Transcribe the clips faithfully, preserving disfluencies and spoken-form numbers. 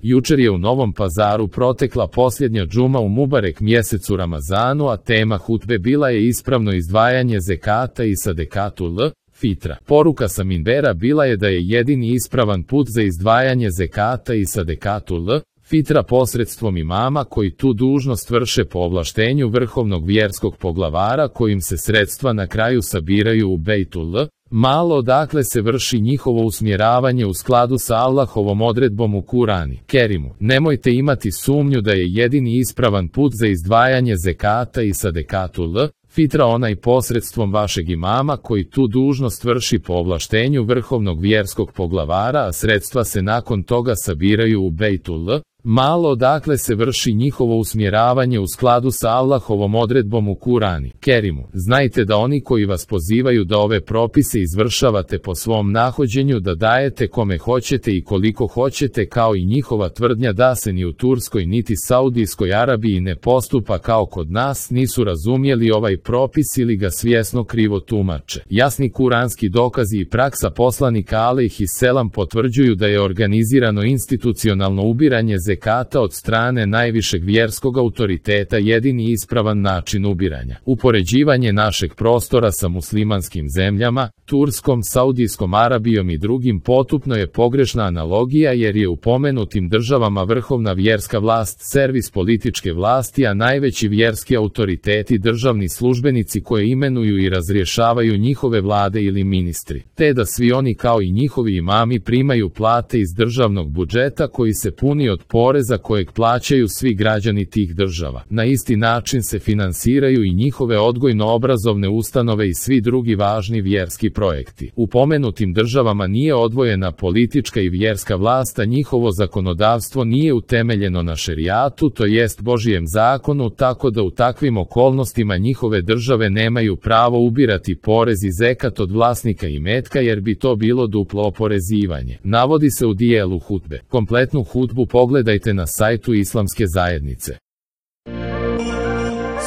Jučer je u Novom Pazaru protekla posljednja džuma u Mubarek mjesecu Ramazanu, a tema hutbe bila je ispravno izdvajanje zekata i sadekatul fitra. Poruka sa minbera bila je da je jedini ispravan put za izdvajanje zekata i sadekatul fitra posredstvom imama koji tu dužnost vrše po ovlaštenju vrhovnog vjerskog poglavara, kojim se sredstva na kraju sabiraju u Bejtul malo, odakle se vrši njihovo usmjeravanje u skladu sa Allahovom odredbom u Kurani Kerimu. Nemojte imati sumnju da je jedini ispravan put za izdvajanje zekata i sadekatul fitra onaj posredstvom vašeg imama koji tu dužnost vrši po ovlaštenju vrhovnog vjerskog poglavara, a sredstva se nakon toga sabiraju u Bejtul malo, odakle se vrši njihovo usmjeravanje u skladu sa Allahovom odredbom u Kurani Kerimu. Znajte da oni koji vas pozivaju da ove propise izvršavate po svom nahođenju, da dajete kome hoćete i koliko hoćete, kao i njihova tvrdnja da se ni u Turskoj niti Saudijskoj Arabiji ne postupa kao kod nas, nisu razumjeli ovaj propis ili ga svjesno krivo tumače. Jasni kuranski dokazi i praksa poslanika alejhi selam potvrđuju da je organizirano institucionalno ubiranje zekata od strane najvišeg vjerskog autoriteta jedini ispravan način ubiranja. Upoređivanje našeg prostora sa muslimanskim zemljama, Turskom, Saudijskom Arabijom i drugim potupno je pogrešna analogija, jer je u pomenutim državama vrhovna vjerska vlast servis političke vlasti, a najveći vjerski autoriteti državni službenici koje imenuju i razrješavaju njihove vlade ili ministri, te da svi oni kao i njihovi imami primaju plate iz državnog budžeta koji se puni od poreza kojeg plaćaju svi građani tih država. Na isti način se finansiraju i njihove odgojno-obrazovne ustanove i svi drugi važni vjerski projekti. U pomenutim državama nije odvojena politička i vjerska vlast, a njihovo zakonodavstvo nije utemeljeno na šerijatu, to jest Božijem zakonu, tako da u takvim okolnostima njihove države nemaju pravo ubirati porez i zekat od vlasnika imetka, jer bi to bilo duplo oporezivanje. Navodi se u dijelu hutbe. Kompletnu hutbu pogledajte na sajtu Islamske zajednice.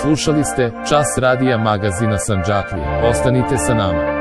Slušali ste Čas radija magazina Sandžaklija. Ostanite sa nama.